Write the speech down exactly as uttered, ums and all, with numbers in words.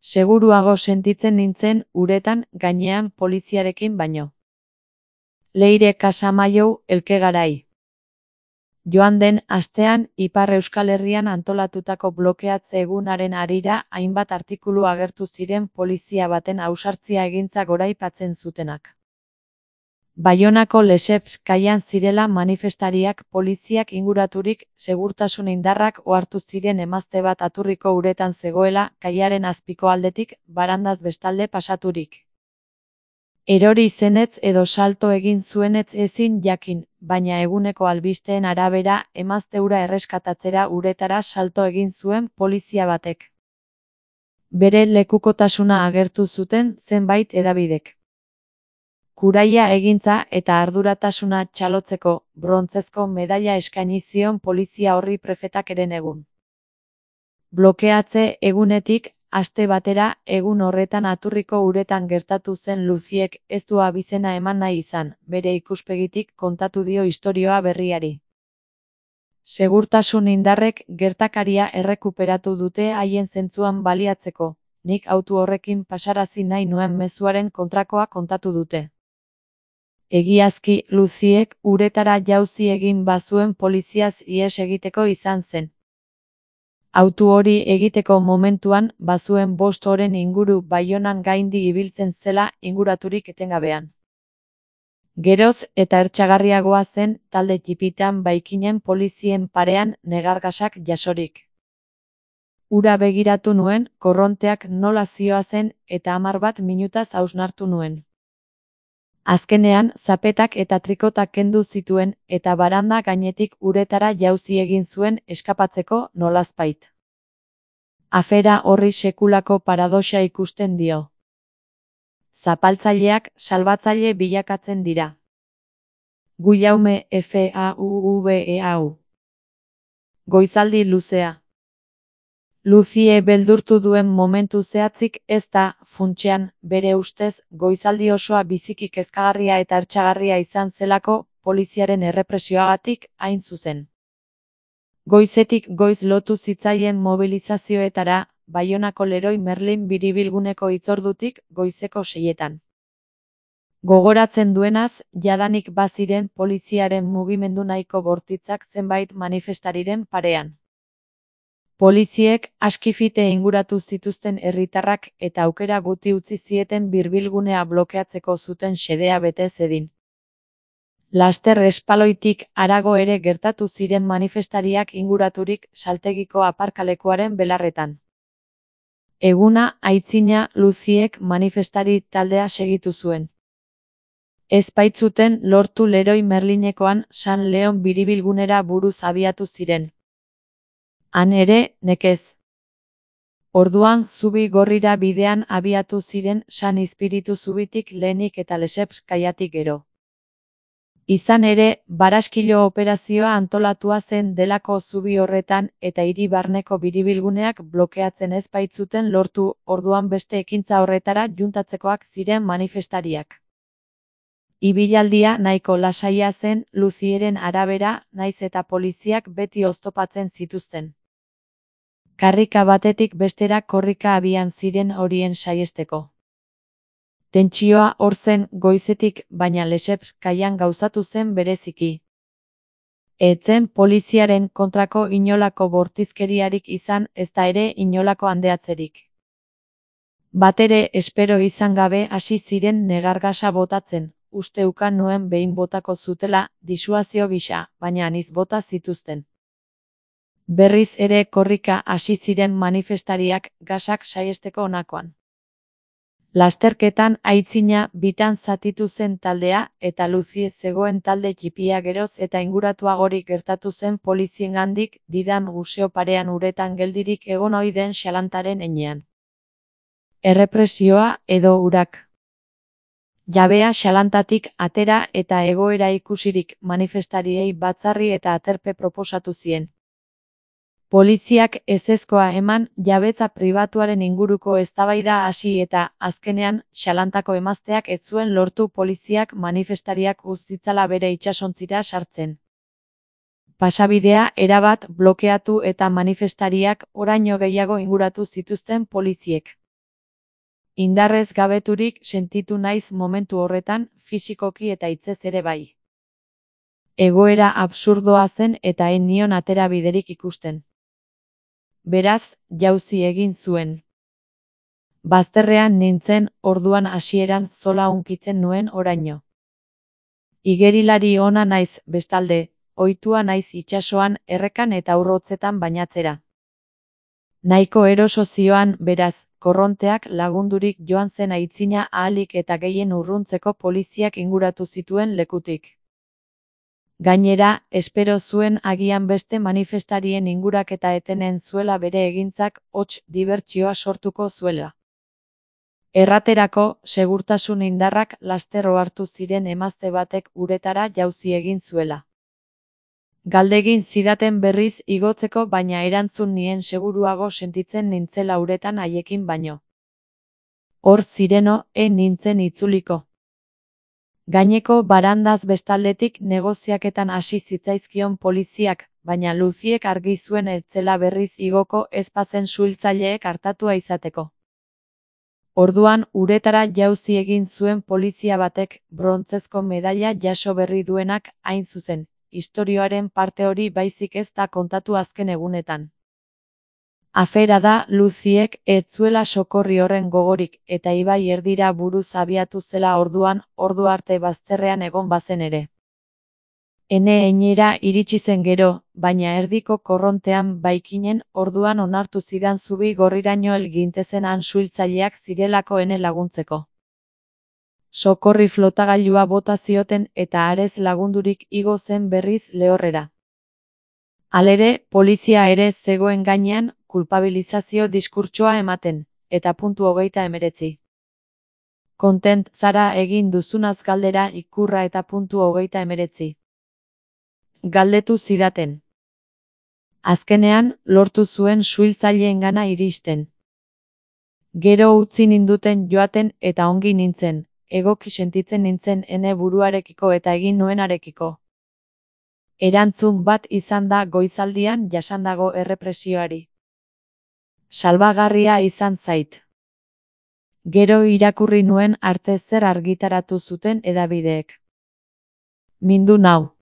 Seguruago sentitzen nintzen uretan gainean poliziarekin baino. Leire Casamaiou Elkegarai. Joan den astean Ipar Euskal Herrian antolatutako blokeatze egunaren harira hainbat artikulu agertu ziren polizia baten ausartzia egintza goraipatzen zutenak. Baionako Lesseps kaian zirela manifestariak poliziak inguraturik segurtasun indarrak ohartu ziren emazte bat aturriko uretan zegoela kaiaren azpiko aldetik barandaz bestalde pasaturik. Erori zenetz edo salto egin zuenetz ezin jakin, baina eguneko albisteen arabera emazte hura erreskatatzera uretara salto egin zuen polizia batek. Bere lekukotasuna agertu zuten zenbait hedabidek. Kuraia egintza eta arduratasuna txalotzeko brontzezko medaila eskaini zion polizia horri prefetak herenegun. Blokeatze egunetik aste batera egun horretan aturriko uretan gertatu zen Luziek ez du abizena eman nahi izan, bere ikuspegitik kontatu dio istorioa berriari. Segurtasun indarrek gertakaria errekuperatu dute haien zentzuan baliatzeko, nik autu horrekin pasarazi nahi nuen mezuaren kontrakoa kontatu dute. Egiazki, Luziek uretara jauzi egin bazuen poliziaz ihes egiteko izan zen. Autu hori egiteko momentuan bazuen bost oren inguru Baionan gaindi ibiltzen zela inguraturik etengabean. Geroz eta ertsagarriagoa zen talde txipitan baikinen polizien parean negargasak jasorik. Ura begiratu nuen, korronteak nola zioazen eta hamar bat minutaz hausnartu nuen. Azkenean, zapetak eta trikotak kendu zituen eta baranda gainetik uretara jauzi egin zuen eskapatzeko nolazpait. Afera horri sekulako paradoxa ikusten dio. Zapaltzaileak salbatzaile bilakatzen dira. Guillaume F A U V E A U. Goizaldi luzea. Luzie beldurtu duen momentu zehatzik ez da, funtsean, bere ustez, goizaldi osoa biziki kezkagarria eta ertsagarria izan zelako, poliziaren errepresioagatik hain zuzen. Goizetik goiz lotu zitzaien mobilizazioetara, Baionako Leroy Merlin biribilguneko hitzordutik goizeko seietan. Gogoratzen duenaz, jadanik baziren poliziaren mugimendu nahiko bortitzak zenbait manifestariren parean. Poliziek askifite inguratu zituzten herritarrak eta aukera guti utzi zieten birbilgunea blokeatzeko zuten xedea bete zedin. Laster espaloitik harago ere gertatu ziren manifestariak inguraturik saltegiko aparkalekuaren belarretan. Eguna aitzina Luziek manifestari taldea segitu zuen. Ez baitzuten lortu Leroy Merlinekoan San Leon biribilgunera buruz abiatu ziren. Han ere, nekez. Orduan zubi gorrira bidean abiatu ziren San Izpiritu zubitik lehenik eta Lesseps kaiatik gero. Izan ere, baraskilo operazioa antolatua zen delako zubi horretan eta hiri barneko biribilguneak blokeatzen ez baitzuten lortu, orduan beste ekintza horretara juntatzekoak ziren manifestariak. Ibilaldia nahiko lasaia zen Luzieren arabera, naiz eta poliziak beti oztopatzen zituzten. Karrika batetik bestera korrika abian ziren horien saiesteko. Tentsioa hor zen goizetik, baina Lesseps kaian gauzatu zen bereziki. Etzen poliziaren kontrako inolako bortizkeriarik izan ezta ere inolako handeatzerik. Batere espero izan gabe hasi ziren negargasa botatzen, uste ukan nuen behin botako zutela, disuazio gisa, baina aniz bota zituzten. Berriz ere korrika hasi ziren manifestariak gasak saiesteko honakoan. Lasterketan aitzina bitan zatitu zen taldea eta Luzie zegoen talde txipia geroz eta inguratuagorik gertatu zen poliziengandik didan museo parean uretan geldirik egon ohi den xalantaren heinean. Errepresioa edo urak. Jabea xalantatik atera eta egoera ikusirik manifestariei batzarri eta aterpe proposatu zien. Poliziak ezezkoa eman jabetza pribatuaren inguruko eztabaida hasi eta, azkenean, xalantako emazteak ez zuen lortu poliziak manifestariak uz zitzala bere itsasontzira sartzen. Pasabidea erabat blokeatu eta manifestariak oraino gehiago inguratu zituzten poliziek. Indarrez gabeturik sentitu naiz momentu horretan, fisikoki eta hitzez ere bai. Egoera absurdoa zen eta ez nion atera biderik ikusten. Beraz, jauzi egin zuen. Bazterrean nintzen, orduan hasieran zola hunkitzen nuen oraino. Igerilari ona naiz, bestalde, ohitua naiz itsasoan, errekan eta urrotzetan bainatzera. Nahiko eroso zioan, beraz, korronteak lagundurik joan zen aitzina ahalik eta gehien urruntzeko poliziak inguratu zituen lekutik. Gainera, espero zuen agian beste manifestarien inguraketa etenen zuela bere egintzak hots dibertsioa sortuko zuela. Erraterako, segurtasun indarrak laster ohartu ziren emazte batek uretara jauzi egin zuela. Galdegin zidaten berriz igotzeko baina erantzun nien seguruago sentitzen nintzela uretan haiekin baino. Hor zireno, e nintzen itzuliko. Gaineko barandaz bestaldetik negoziaketan hasi zitzaizkion poliziak, baina Luziek argi zuen ez zela berriz igoko ez bazen suhiltzaileek artatua izateko. Orduan uretara jauzi egin zuen polizia batek, brontzezko medaila jaso berri duenak, hain zuzen, istorioaren parte hori baizik ez da kontatu azken egunetan. Afera da, Luziek ez zuela sokorri horren gogorik, eta ibai erdira buruz abiatu zela orduan, ordu arte bazterrean egon bazen ere. Ene einera iritsi zen gero, baina erdiko korrontean baikinen, orduan onartu zidan zubi gorriraino hel gintezen han suhiltzaileak zirelako ene laguntzeko. Sokorri flotagailua bota zioten eta arez lagundurik igo zen berriz lehorrera. Halere, polizia ere zegoen gainean, kulpabilizazio diskurtsoa ematen, eta puntu hogeita hemeretzi. Kontent zara egin duzunaz galdera ikurra eta puntu hogeita hemeretzi. Galdetu zidaten. Azkenean, lortu zuen suhiltzaileengana iristen. Gero utzi ninduten joaten eta ongi nintzen, egoki sentitzen nintzen ene buruarekiko eta egin nuenarekiko. Erantzun bat izan da goizaldian jasandago errepresioari. Salbagarria izan zait. Gero irakurri nuen arte zer argitaratu zuten hedabideek. Mindu nau.